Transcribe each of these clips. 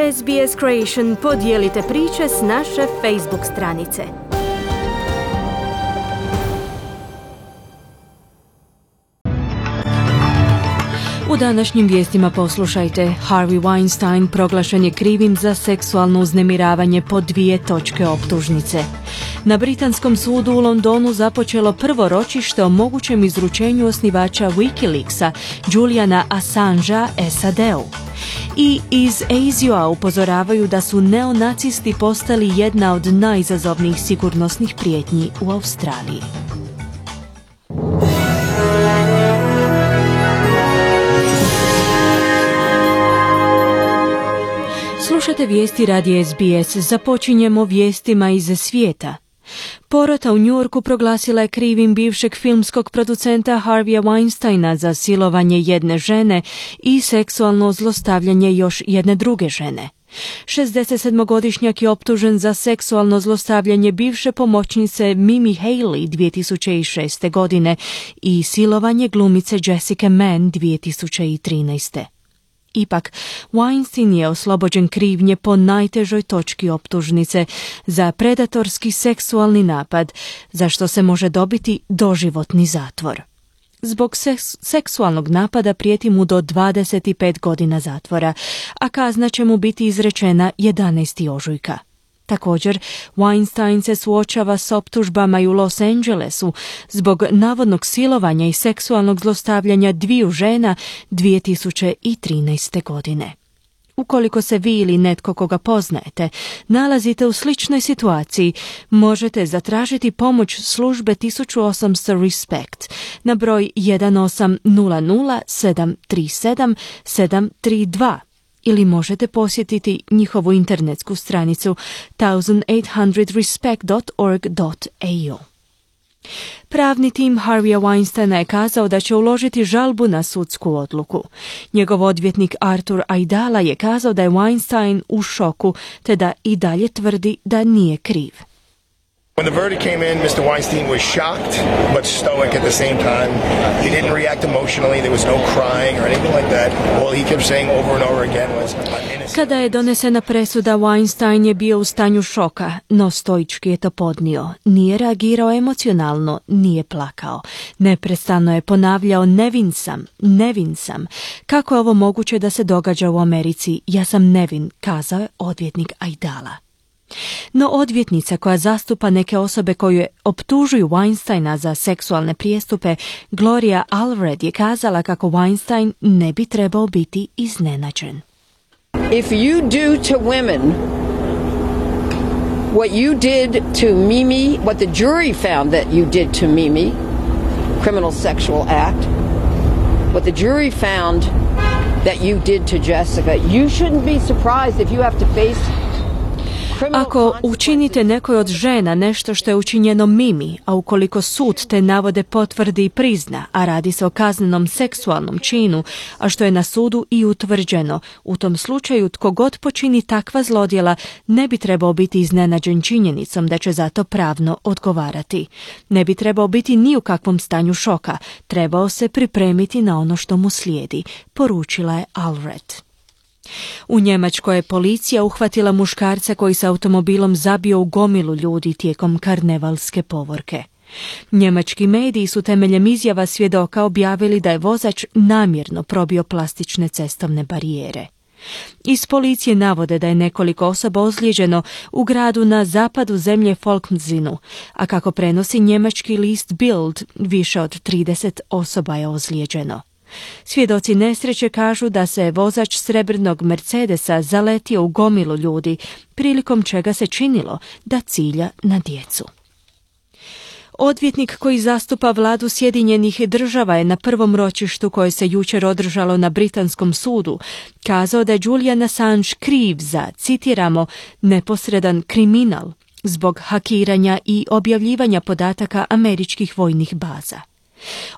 SBS Creation podijelite priče s naše Facebook stranice. U današnjim vijestima poslušajte: Harvey Weinstein proglašen je krivim za seksualno uznemiravanje po 2 točke optužnice. Na britanskom sudu u Londonu započelo prvo ročište o mogućem izručenju osnivača Wikileaksa, Juliana Assangea, SAD-u. I iz ASIO-a upozoravaju da su neonacisti postali jedna od najizazovnijih sigurnosnih prijetnji u Australiji. Slušate vijesti radija SBS. Započinjemo vijestima iz svijeta. Porota u New Yorku proglasila je krivim bivšeg filmskog producenta Harveya Weinsteina za silovanje jedne žene i seksualno zlostavljanje još jedne druge žene. 67-godišnjak je optužen za seksualno zlostavljanje bivše pomoćnice Mimi Haley 2006. godine i silovanje glumice Jessica Mann 2013. Ipak, Weinstein je oslobođen krivnje po najtežoj točki optužnice za predatorski seksualni napad, za što se može dobiti doživotni zatvor. Zbog seksualnog napada prijeti mu do 25 godina zatvora, a kazna će mu biti izrečena 11. ožujka. Također, Weinstein se suočava s optužbama i u Los Angelesu zbog navodnog silovanja i seksualnog zlostavljanja 2 žena 2013. godine. Ukoliko se vi ili netko koga poznajete nalazite u sličnoj situaciji, možete zatražiti pomoć službe 1800 RESPECT na broj 1800 737 732 ili možete posjetiti njihovu internetsku stranicu 1800respect.org.au. Pravni tim Harveya Weinsteina je kazao da će uložiti žalbu na sudsku odluku. Njegov odvjetnik Arthur Aidala je kazao da je Weinstein u šoku te da i dalje tvrdi da nije kriv. When the verdict came in, Mr. Weinstein was shocked, but stoic at the same time. He didn't react emotionally. There was no crying or anything like that. All he kept saying over and over again was, I'm innocent. Kada je donesena presuda, Weinstein je bio u stanju šoka, no stoički je to podnio. Nije reagirao emocionalno, nije plakao. Neprestano je ponavljao, nevin sam. Kako je ovo moguće da se događa u Americi? Ja sam nevin, kazao je odvjetnik Aidala. No odvjetnica koja zastupa neke osobe koje optužuju Weinsteina za seksualne prijestupe, Gloria Allred, je kazala kako Weinstein ne bi trebao biti iznenađen. If you do to women what you did to Mimi, what the jury found that you did to Mimi, criminal sexual act, what the jury found that you did to Jessica, you shouldn't be surprised if you have to face. Ako učinite nekoj od žena nešto što je učinjeno Mimi, a ukoliko sud te navode potvrdi i prizna, a radi se o kaznenom seksualnom činu, a što je na sudu i utvrđeno, u tom slučaju tko god počini takva zlodjela ne bi trebao biti iznenađen činjenicom da će za to pravno odgovarati. Ne bi trebao biti ni u kakvom stanju šoka, trebao se pripremiti na ono što mu slijedi, poručila je Allred. U Njemačkoj je policija uhvatila muškarca koji se automobilom zabio u gomilu ljudi tijekom karnevalske povorke. Njemački mediji su temeljem izjava svjedoka objavili da je vozač namjerno probio plastične cestovne barijere. Iz policije navode da je nekoliko osoba ozlijeđeno u gradu na zapadu zemlje Falkensinu, a kako prenosi njemački list Bild, više od 30 osoba je ozlijeđeno. Svjedoci nesreće kažu da se vozač srebrnog Mercedesa zaletio u gomilu ljudi, prilikom čega se činilo da cilja na djecu. Odvjetnik koji zastupa vladu Sjedinjenih Država je na prvom ročištu koje se jučer održalo na britanskom sudu kazao da je Julian Assange kriv za, citiramo, neposredan kriminal zbog hakiranja i objavljivanja podataka američkih vojnih baza.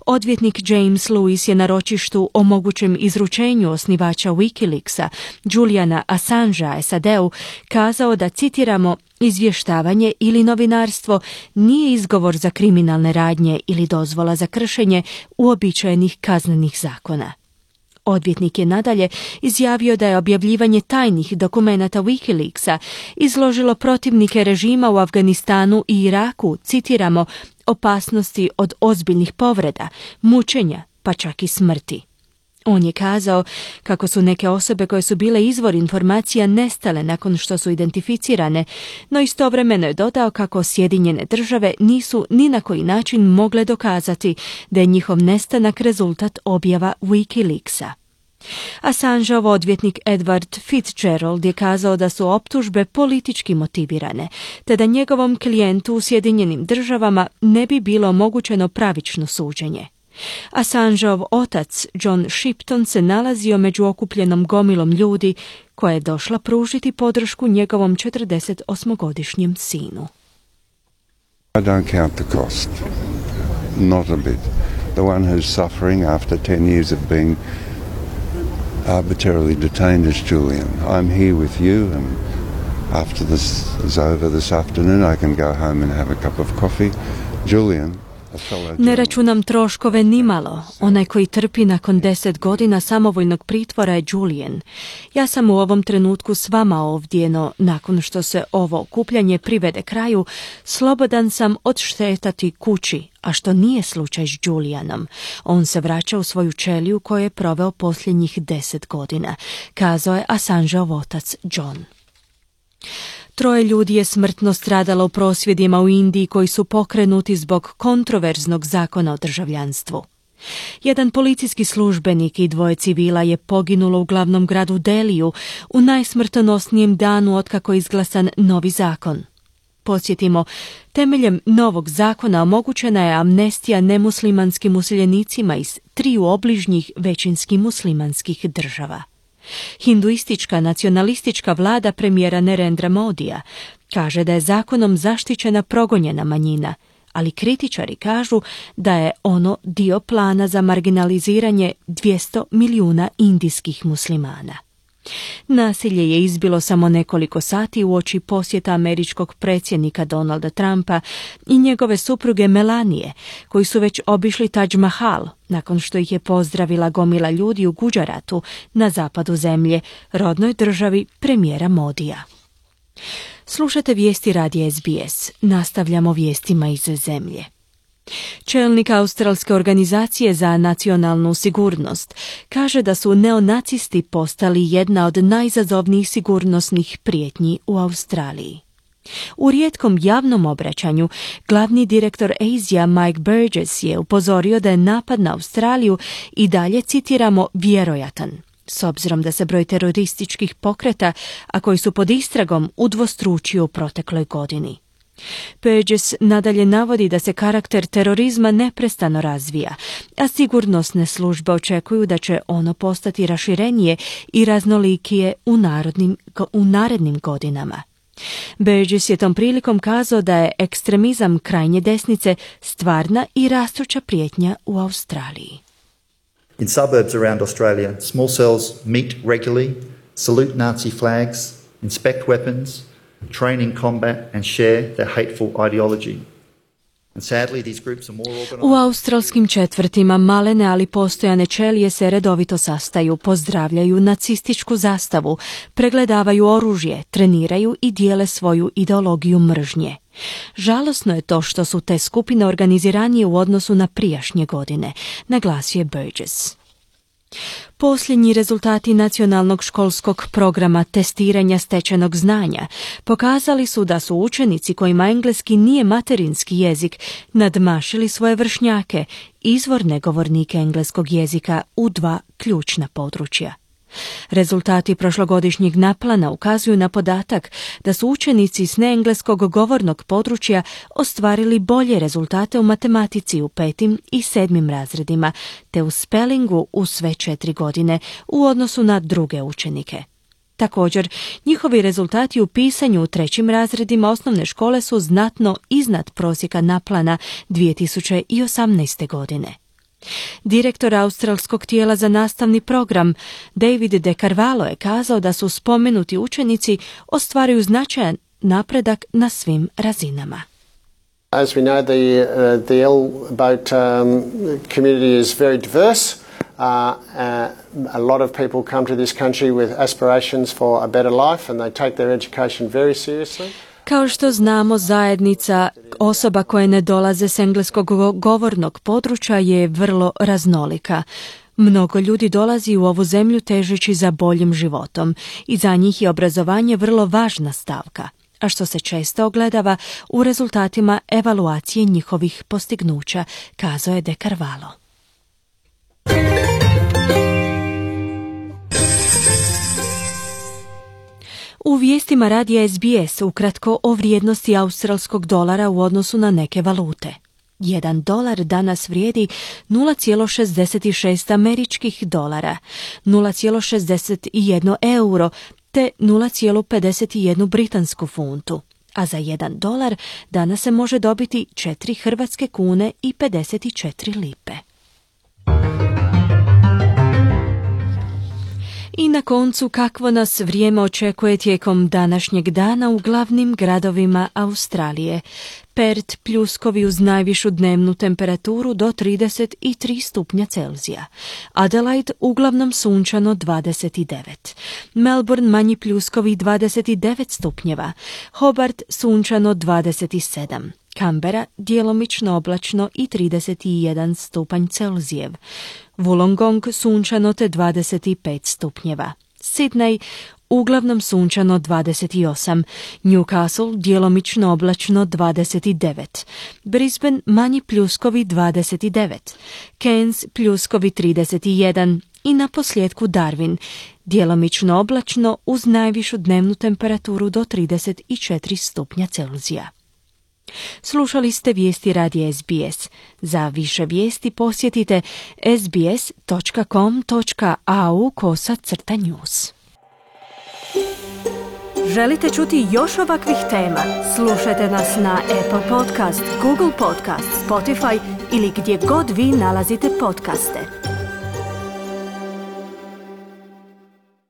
Odvjetnik James Lewis je na ročištu o mogućem izručenju osnivača Wikileaksa, Juliana Assangea, SAD-u, kazao da, citiramo, izvještavanje ili novinarstvo nije izgovor za kriminalne radnje ili dozvola za kršenje uobičajenih kaznenih zakona. Odvjetnik je nadalje izjavio da je objavljivanje tajnih dokumenata WikiLeaksa izložilo protivnike režima u Afganistanu i Iraku, citiramo, opasnosti od ozbiljnih povreda, mučenja, pa čak i smrti. On je kazao kako su neke osobe koje su bile izvor informacija nestale nakon što su identificirane, no istovremeno je dodao kako Sjedinjene države nisu ni na koji način mogle dokazati da je njihov nestanak rezultat objava WikiLeaksa. Assangeov odvjetnik Edward Fitzgerald je kazao da su optužbe politički motivirane, te da njegovom klijentu u Sjedinjenim državama ne bi bilo omogućeno pravično suđenje. Assangeov otac, John Shipton, se nalazio među okupljenom gomilom ljudi koja je došla pružiti podršku njegovom 48-godišnjem sinu. I don't count the cost. Not a bit. The one who's suffering after 10 years of being arbitrarily detained is Julian. I'm here with you, and after this is over this afternoon I can go home and have a cup of coffee. Julian, ne računam troškove nimalo. Onaj koji trpi nakon 10 godina samovoljnog pritvora je Julian. Ja sam u ovom trenutku s vama ovdje, no nakon što se ovo okupljanje privede kraju, slobodan sam odštetati kući, a što nije slučaj s Julianom. On se vraća u svoju ćeliju koju je proveo posljednjih 10 godina, kazao je Assangeov otac John. 3 ljudi je smrtno stradalo u prosvjedima u Indiji koji su pokrenuti zbog kontroverznog zakona o državljanstvu. Jedan policijski službenik i 2 civila je poginulo u glavnom gradu Deliju u najsmrtonosnijem danu otkako je izglasan novi zakon. Podsjetimo, temeljem novog zakona omogućena je amnestija nemuslimanskim useljenicima iz 3 obližnjih većinski muslimanskih država. Hinduistička nacionalistička vlada premijera Narendra Modija kaže da je zakonom zaštićena progonjena manjina, ali kritičari kažu da je ono dio plana za marginaliziranje 200 milijuna indijskih muslimana. Nasilje je izbilo samo nekoliko sati uoči posjeta američkog predsjednika Donalda Trumpa i njegove supruge Melanije, koji su već obišli Taj Mahal nakon što ih je pozdravila gomila ljudi u Gujaratu na zapadu zemlje, rodnoj državi premijera Modija. Slušate vijesti radija SBS. Nastavljamo vijestima iz zemlje. Čelnik Australske organizacije za nacionalnu sigurnost kaže da su neonacisti postali jedna od najizazovnijih sigurnosnih prijetnji u Australiji. U rijetkom javnom obraćanju glavni direktor ASIA Mike Burgess je upozorio da je napad na Australiju i dalje, citiramo, vjerojatan, s obzirom da se broj terorističkih pokreta, a koji su pod istragom, udvostručio u protekloj godini. Burgess nadalje navodi da se karakter terorizma neprestano razvija, a sigurnosne službe očekuju da će ono postati raširenije i raznolikije u narednim godinama. Burgess je tom prilikom kazao da je ekstremizam krajnje desnice stvarna i rastuća prijetnja u Australiji. In suburbs around Australia, small cells meet regularly, salute Nazi flags, inspect weapons, train in combat and share their hateful ideology. And sadly, these groups are more organized. U australskim četvrtima malene ali postojane ćelije se redovito sastaju, pozdravljaju nacističku zastavu, pregledavaju oružje, treniraju i dijele svoju ideologiju mržnje. Žalosno je to što su te skupine organiziranije u odnosu na prijašnje godine, naglasio je Burgess. Posljednji rezultati nacionalnog školskog programa testiranja stečenog znanja pokazali su da su učenici kojima engleski nije materinski jezik nadmašili svoje vršnjake, izvorne govornike engleskog jezika u 2 ključna područja. Rezultati prošlogodišnjeg naplana ukazuju na podatak da su učenici s neengleskog govornog područja ostvarili bolje rezultate u matematici u 5. i 7. razredima, te u spellingu u sve 4 godine u odnosu na druge učenike. Također, njihovi rezultati u pisanju u 3. razredima osnovne škole su znatno iznad prosjeka naplana 2018. godine. Direktor australskog tijela za nastavni program David De Carvalho je kazao da su spomenuti učenici ostvaruju značajan napredak na svim razinama. As we know, the L boat community is very diverse. A lot of people come to this country with aspirations for a better life and they take their education very seriously. Kao što znamo, zajednica osoba koje ne dolaze s engleskog govornog područja je vrlo raznolika. Mnogo ljudi dolazi u ovu zemlju težeći za boljim životom i za njih je obrazovanje vrlo važna stavka, a što se često ogledava u rezultatima evaluacije njihovih postignuća, kazao je De Carvalho. U vijestima radija SBS ukratko o vrijednosti australskog dolara u odnosu na neke valute. $1 danas vrijedi 0,66 američkih dolara, 0,61 euro te 0,51 britansku funtu, a za $1 danas se može dobiti 4 hrvatske kune i 54 lipe. I na koncu, kakvo nas vrijeme očekuje tijekom današnjeg dana u glavnim gradovima Australije. Perth pljuskovi uz najvišu dnevnu temperaturu do 33 stupnja Celzija. Adelaide uglavnom sunčano 29. Melbourne manji pljuskovi 29 stupnjeva. Hobart sunčano 27. Canberra djelomično oblačno i 31 stupanj Celzijev. Wollongong sunčano te 25 stupnjeva. Sydney uglavnom sunčano 28, Newcastle djelomično oblačno 29, Brisbane manji pljuskovi 29, Cairns pljuskovi 31 i na posljedku Darwin djelomično oblačno uz najvišu dnevnu temperaturu do 34 stupnja Celzija. Slušali ste vijesti radija SBS. Za više vijesti posjetite sbs.com.au/news. Želite čuti još ovakvih tema? Slušajte nas na Apple Podcast, Google Podcast, Spotify ili gdje god vi nalazite podcaste.